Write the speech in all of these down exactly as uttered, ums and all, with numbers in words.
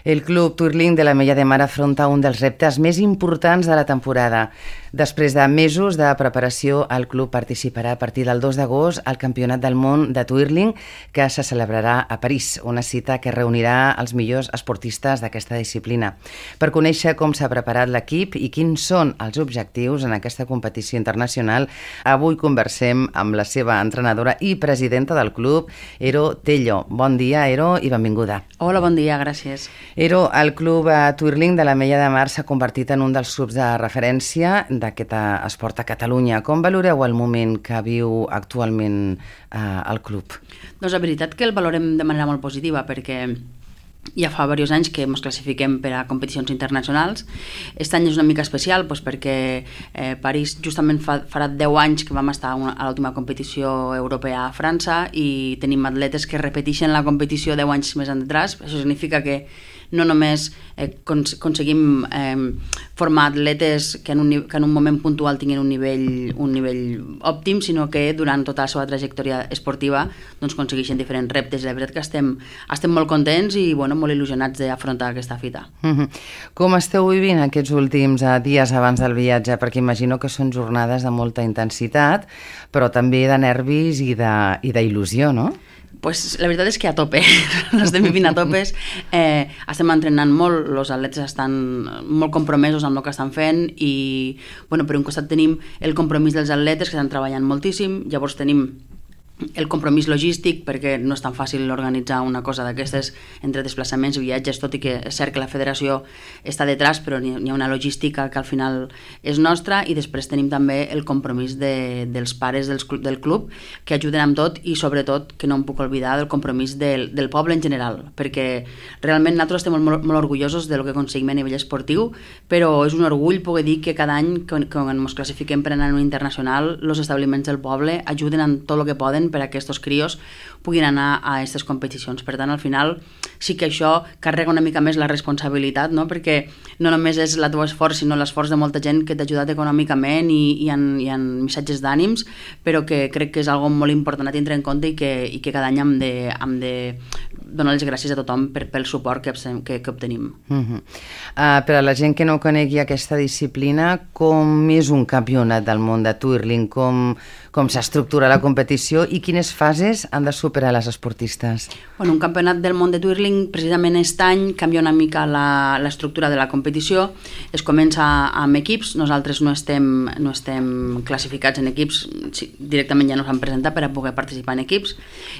El Club Twirling de l'Ametlla de Mar afronta un dels reptes més importants de la temporada. Després de mesos de preparació, el club participarà a partir del dos d'agost al Campionat del Món de Twirling, que se celebrarà a París, una cita que reunirà els millors esportistes d'aquesta disciplina. Per conèixer com s'ha preparat l'equip i quins són els objectius en aquesta competició internacional, avui conversem amb la seva entrenadora i presidenta del club, Ero Tello. Bon dia, Ero, i benvinguda. Hola, bon dia, gràcies. Ero, el club Twirling de l'Ametlla de Mar s'ha convertit en un dels clubs de referència d'aquest esport a Catalunya. Com valoreu el moment que viu actualment eh, el club? Doncs la veritat que el valorem de manera molt positiva, perquè ja fa diversos anys que ens classifiquem per a competicions internacionals. Aquest any és una mica especial doncs perquè eh, París justament fa, farà deu anys que vam estar a l'última competició europea a França i tenim atletes que repeteixen la competició deu anys més enrere. Això significa que no només eh, cons aconseguim eh, formar atletes que en, un, que en un moment puntual tinguin un nivell, un nivell òptim, sinó que durant tota la seva trajectòria esportiva doncs, aconsegueixen diferents reptes. La veritat que estem, estem molt contents i bueno, molt il·lusionats d'afrontar aquesta fita. Mm-hmm. Com esteu vivint aquests últims eh, dies abans del viatge? Perquè imagino que són jornades de molta intensitat, però també de nervis i d'il·lusió, no? Pues la veritat és que a tope, l'estem vivint a topes, eh, estem entrenant molt, els atletes estan molt compromesos amb el que estan fent i bueno, per un costat tenim el compromís dels atletes que estan treballant moltíssim, llavors tenim el compromís logístic perquè no és tan fàcil organitzar una cosa d'aquestes entre desplaçaments i viatges, tot i que és cert que la federació està detrás, però hi ha una logística que al final és nostra i després tenim també el compromís de, dels pares dels, del club que ajuden amb tot i sobretot, que no em puc oblidar, del compromís del, del poble en general, perquè realment nosaltres estem molt, molt orgullosos del que aconseguim a nivell esportiu, però és un orgull poder dir que cada any quan, quan ens classifiquem per anar a un internacional, els establiments del poble ajuden en tot el que poden per a que aquests crios puguin anar a aquestes competicions. Per tant, al final sí que això carrega una mica més la responsabilitat, no? Perquè no només és el teu esforç, sinó l'esforç de molta gent que t'ha ajudat econòmicament i, i, en, i en missatges d'ànims, però que crec que és algo molt important a tindre en compte i que, i que cada any hem de, hem de donar les gràcies a tothom per, pel suport que, que, que obtenim. Uh-huh. uh, per a la gent que no conegui aquesta disciplina, com és un campionat del món de Twirling? Com, com s'estructura la competició i quines fases han de superar les esportistes? Bueno, un campionat del món de Twirling, precisament aquest any, canvia una mica l'estructura de la competició. Es comença amb equips, nosaltres no estem, no estem classificats en equips, directament ja no s'han presentat per a poder participar en equips,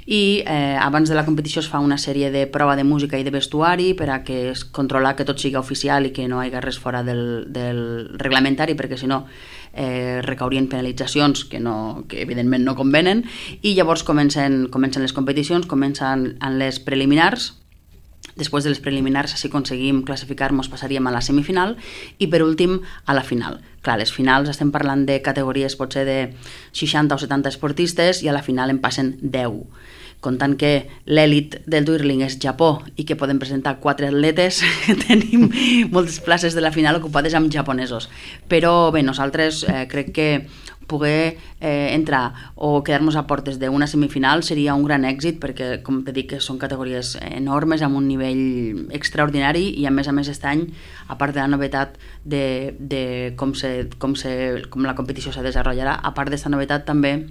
i eh, abans de la competició es fa una sèrie de prova de música i de vestuari per a que es controlar que tot sigui oficial i que no hi hagi res fora del, del reglamentari, perquè si no eh, recaurien penalitzacions que, no, que evidentment no convenen, i llavors comencen, comencen les competicions, comencen en les preliminars. Després de les preliminars, si aconseguim classificar-nos, passaríem a la semifinal i per últim a la final. Clar, les finals estem parlant de categories potser de seixanta o setanta esportistes i a la final en passen deu. Comptant que l'èlit del Twirling és Japó i que podem presentar quatre atletes, tenim moltes places de la final ocupades amb japonesos. Però bé, nosaltres eh, crec que poder eh, entrar o quedar-nos a portes d'una semifinal seria un gran èxit perquè, com te dic, són categories enormes amb un nivell extraordinari i a més a més aquest any, a part de la novetat de, de com, se, com, se, com la competició se desenvoluparà, a part d'aquesta novetat també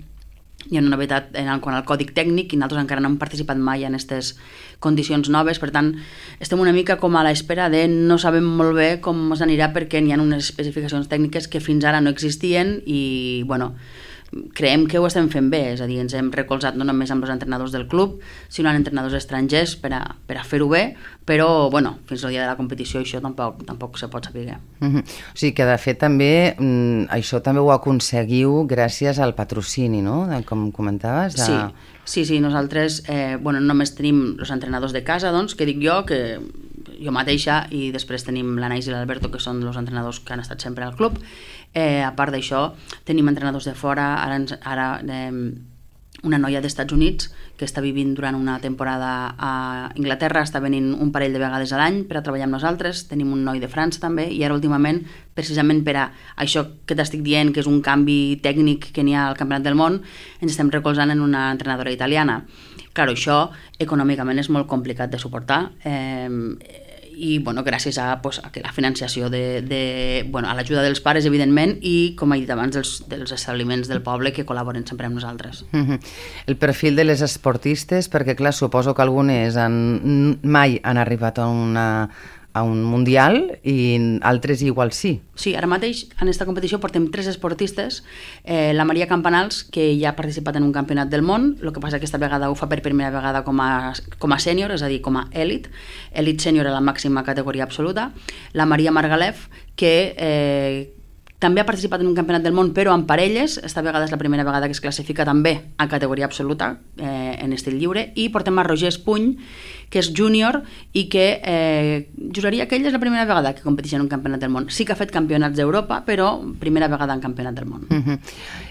hi ha una novetat en el, quant al còdic tècnic i nosaltres encara no hem participat mai en aquestes condicions noves, per tant estem una mica com a l'espera de no sabem molt bé com ens anirà perquè hi ha unes especificacions tècniques que fins ara no existien i bueno, creiem que ho estem fent bé, és a dir, ens hem recolzat no només amb els entrenadors del club, sinó amb entrenadors estrangers per a, per a fer-ho bé, però bueno, fins al dia de la competició això tampoc, tampoc se pot saber. Mm-hmm. O sigui que de fet també mm, això també ho aconseguiu gràcies al patrocini, no? Com comentaves. De... Sí, sí, sí, nosaltres eh, bueno, només tenim els entrenadors de casa, doncs, que dic jo, que jo mateixa, i després tenim l'Anais i l'Alberto, que són els entrenadors que han estat sempre al club. Eh, a part d'això, tenim entrenadors de fora, ara, ara eh, una noia dels Estats Units que està vivint durant una temporada a Inglaterra, està venint un parell de vegades a l'any per a treballar amb nosaltres, tenim un noi de França també, i ara últimament, precisament per a això que t'estic dient, que és un canvi tècnic que n'hi ha al Campionat del Món, ens estem recolzant en una entrenadora italiana. Clar, això econòmicament és molt complicat de suportar, eh, i bueno, gràcies a, pues, a que la financiació de, de, bueno, a l'ajuda dels pares, evidentment, i, com he dit abans, dels, dels establiments del poble que col·laboren sempre amb nosaltres. Mm-hmm. El perfil de les esportistes, perquè clar, suposo que algunes han, mai han arribat a una a un mundial i altres igual sí. Sí, ara mateix en aquesta competició portem tres esportistes, eh, la Maria Campanals, que ja ha participat en un campionat del món, el que passa que aquesta vegada ho fa per primera vegada com a, com a sènior, és a dir, com a èlit, èlit sènior a la màxima categoria absoluta, la Maria Margalef, que eh, també ha participat en un campionat del món, però en parelles, esta vegada és la primera vegada que es classifica també a categoria absoluta, eh, en estil lliure, i portem a Roger Espuny, que és júnior i que eh, juraria que ell és la primera vegada que competeix en un campionat del món. Sí que ha fet campionats d'Europa, però primera vegada en campionat del món. Uh-huh.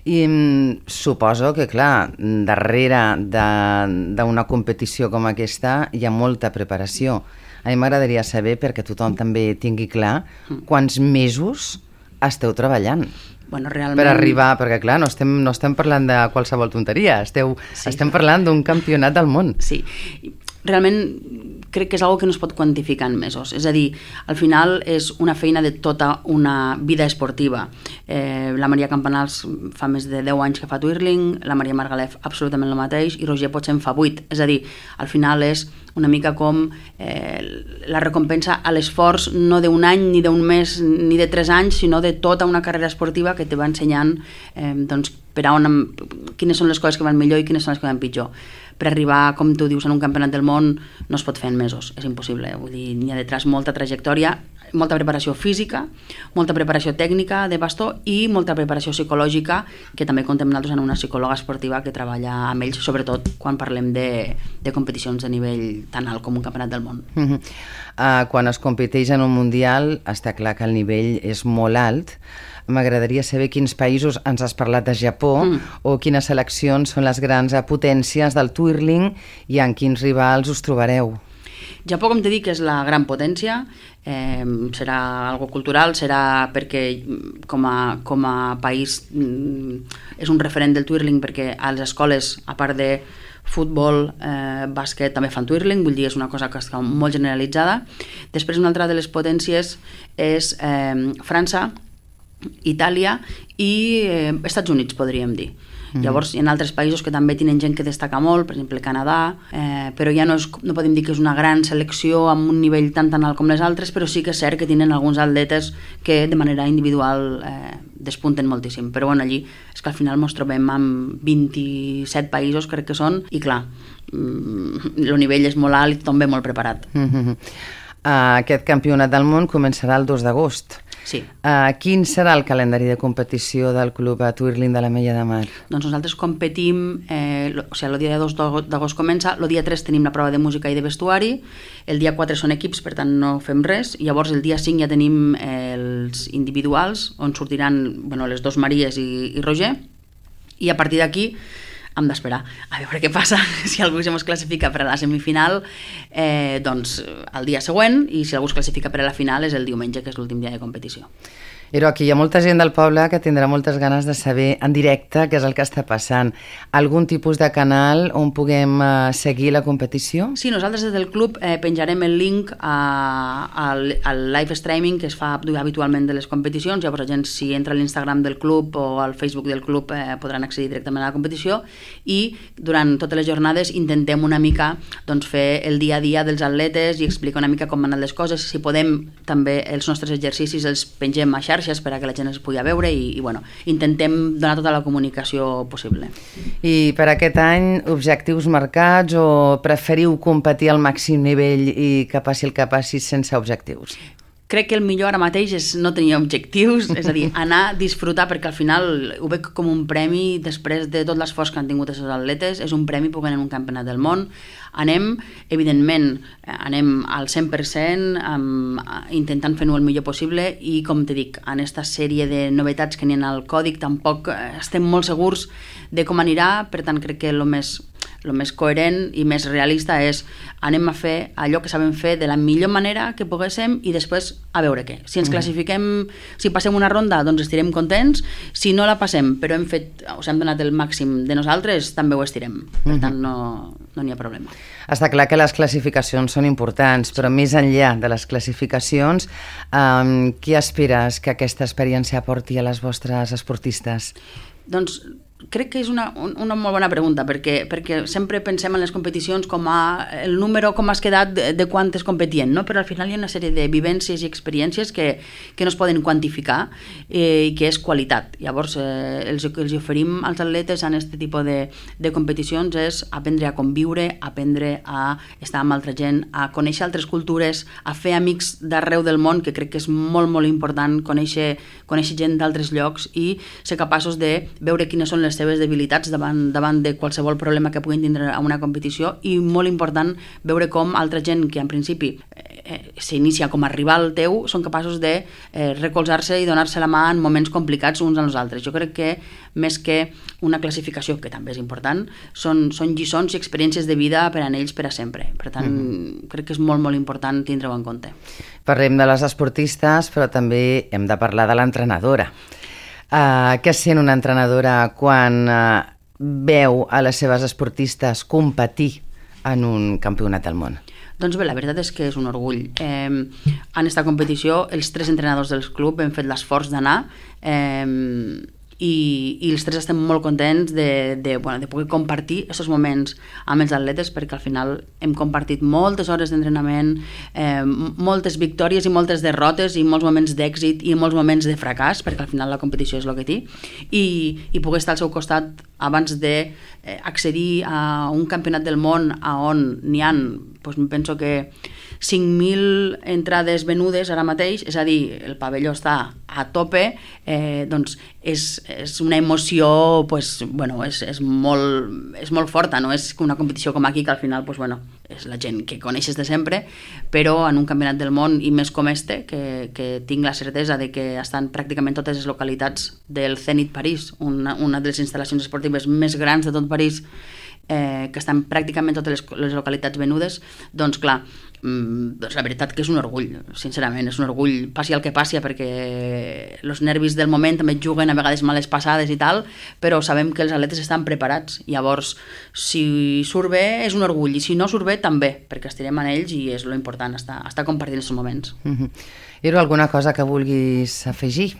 I mm, suposo que, clar, darrere d'una competició com aquesta hi ha molta preparació. A mi m'agradaria saber, perquè tothom també tingui clar, quants mesos esteu treballant. Bueno, realment... Per arribar, perquè clar, no estem, no estem parlant de qualsevol tonteria, esteu, sí, estem parlant d'un campionat del món. Sí, realment crec que és una que no es pot quantificar en mesos, és a dir, al final és una feina de tota una vida esportiva. Eh, la Maria Campanals fa més de deu anys que fa twirling, la Maria Margalef absolutament el mateix i Roger potser en fa vuit, és a dir, al final és una mica com eh, la recompensa a l'esforç no d'un any, ni d'un mes, ni de tres anys, sinó de tota una carrera esportiva que te va ensenyant eh, doncs, per a on, quines són les coses que van millor i quines són les que van pitjor. Per arribar, com tu dius, en un campionat del món no es pot fer en mesos, és impossible. Vull dir, n'hi ha detrás molta trajectòria, molta preparació física, molta preparació tècnica de bastó i molta preparació psicològica, que també contem nosaltres en una psicòloga esportiva que treballa amb ells, sobretot quan parlem de, de competicions de nivell tan alt com un campionat del món. Uh-huh. uh, quan es competeix en un mundial està clar que el nivell és molt alt. M'agradaria saber quins països, ens has parlat de Japó, mm. o quines seleccions són les grans potències del twirling i en quins rivals us trobareu. Japó, com t'he dit, és la gran potència, eh, serà algo cultural, serà perquè com a, com a país mm, és un referent del twirling, perquè a les escoles, a part de futbol, eh, bàsquet, també fan twirling, vull dir, és una cosa que està molt generalitzada. Després, una altra de les potències és eh, França, Itàlia i eh, Estats Units, podríem dir. Mm. Llavors, hi ha altres països que també tenen gent que destaca molt, per exemple, Canadà, eh, però ja no, és, no podem dir que és una gran selecció amb un nivell tan tan alt com les altres, però sí que és cert que tenen alguns atletes que de manera individual eh, despunten moltíssim. Però bueno, allí és que al final ens trobem amb vint-i-set països, crec que són, i clar, el nivell és molt alt i tothom ve molt preparat. Mm-hmm. uh, aquest campionat del món començarà el dos d'agost. Sí. Uh, quin serà el calendari de competició del Club Twirling de l'Ametlla de Mar? Doncs nosaltres competim, eh, lo, o sigui, el dia dos d'agost comença, el dia tres tenim la prova de música i de vestuari, el dia quatre són equips, per tant no fem res, i llavors el dia cinc ja tenim eh, els individuals, on sortiran bueno, les dos Maries i, i Roger, i a partir d'aquí hem d'esperar a veure què passa, si algú es classifica per a la semifinal, eh, doncs el dia següent, i si algú es classifica per a la final és el diumenge, que és l'últim dia de competició. Però aquí hi ha molta gent del poble que tindrà moltes ganes de saber en directe què és el que està passant. Algun tipus de canal on puguem uh, seguir la competició? Sí, nosaltres des del club eh, penjarem el link a, al, al live streaming que es fa habitualment de les competicions, llavors la gent si entra a l'Instagram del club o al Facebook del club eh, podran accedir directament a la competició, i durant totes les jornades intentem una mica doncs, fer el dia a dia dels atletes i explicar una mica com van les coses, si podem també els nostres exercicis els pengem a xarxes per a que la gent es pugui veure i, i bueno, intentem donar tota la comunicació possible. I per aquest any, objectius marcats o preferiu competir al màxim nivell i que passi el que passi sense objectius? Crec que el millor ara mateix és no tenir objectius, és a dir, anar a disfrutar, perquè al final ho veig com un premi després de tot l'esforç que han tingut els atletes, és un premi poder en un campionat del món. Anem, evidentment, anem al cent per cent um, intentant fer-ho el millor possible i, com te dic, en aquesta sèrie de novetats que n'hi ha al còdic tampoc estem molt segurs de com anirà, per tant crec que el més el més coherent i més realista és anem a fer allò que sabem fer de la millor manera que poguéssim i després a veure què. Si ens classifiquem, si passem una ronda, doncs estirem contents, si no la passem, però hem fet, o sigui, hem donat el màxim de nosaltres, també ho estirem. Per tant, no no n'hi ha problema. Està clar que les classificacions són importants, però més enllà de les classificacions, um, què aspires que aquesta experiència aporti a les vostres esportistes? Doncs crec que és una, una molt bona pregunta, perquè, perquè sempre pensem en les competicions com a el número, com has quedat de, de quantes competien, no? Però al final hi ha una sèrie de vivències i experiències que, que no es poden quantificar eh, i que és qualitat. Llavors, eh, el que els oferim als atletes en aquest tipus de, de competicions és aprendre a conviure, aprendre a estar amb altra gent, a conèixer altres cultures, a fer amics d'arreu del món, que crec que és molt, molt important conèixer, conèixer gent d'altres llocs i ser capaços de veure quines són les seves debilitats davant, davant de qualsevol problema que puguin tindre a una competició i molt important veure com altra gent que en principi eh, s'inicia com a rival teu són capaços de eh, recolzar-se i donar-se la mà en moments complicats uns als altres. Jo crec que més que una classificació, que també és important, són, són lliçons i experiències de vida per a ells per a sempre. Per tant, mm-hmm. crec que és molt, molt important tindre-ho en compte. Parlem de les esportistes, però també hem de parlar de l'entrenadora. Uh, què sent una entrenadora quan uh, veu a les seves esportistes competir en un campionat del món? Doncs bé, la veritat és que és un orgull. Eh, en aquesta competició, els tres entrenadors del club hem fet l'esforç d'anar eh, i, i els tres estem molt contents de, de, bueno, de poder compartir aquests moments amb els atletes, perquè al final hem compartit moltes hores d'entrenament, eh, moltes victòries i moltes derrotes i molts moments d'èxit i molts moments de fracàs, perquè al final la competició és el que té, i, i poder estar al seu costat abans d'accedir a un campionat del món a on n'hi ha, doncs penso que cinc mil entrades venudes ara mateix, és a dir, el pavelló està a tope, eh, doncs és, és una emoció, pues, bueno, és, és, molt, és molt forta, no és una competició com aquí que al final, pues, bueno, és la gent que coneixes de sempre, però en un campionat del món i més com este, que, que tinc la certesa de que estan pràcticament totes les localitats del Zenit París, una, una de les instal·lacions esportives més grans de tot París, eh, que estan pràcticament totes les, les localitats venudes, doncs clar, doncs la veritat que és un orgull, sincerament, és un orgull, passi el que passi, perquè els nervis del moment també juguen a vegades males passades i tal, però sabem que els atletes estan preparats, llavors si surt bé és un orgull i si no surt bé també, perquè estirem en ells i és lo important, estar, estar compartint aquests moments. Mm-hmm. Era alguna cosa que vulguis afegir?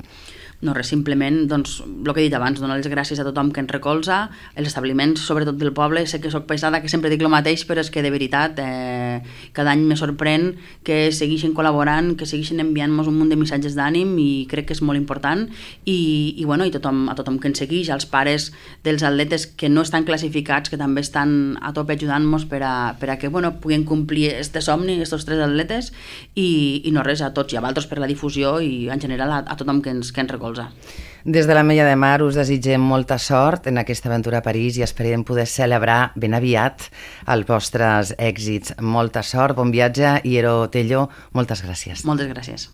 No, res, simplement, doncs, el que he dit abans, donar les gràcies a tothom que ens recolza, els establiments, sobretot del poble, sé que soc pesada, que sempre dic el mateix, però és que de veritat, eh, cada any me sorprèn que segueixin col·laborant, que segueixin enviant-nos un munt de missatges d'ànim i crec que és molt important i, i, bueno, i tothom, a tothom que ens segueix, als pares dels atletes que no estan classificats, que també estan a tope ajudant-nos per a, per a que, bueno, puguin complir este somni, estos tres atletes i, i no res, a tots i a vosaltres per la difusió i en general a, a tothom que ens, que ens recolza. Des de l'Ametlla de Mar us desitgem molta sort en aquesta aventura a París i esperem poder celebrar ben aviat els vostres èxits. Molta sort, bon viatge i Ero Tello, moltes gràcies. Moltes gràcies.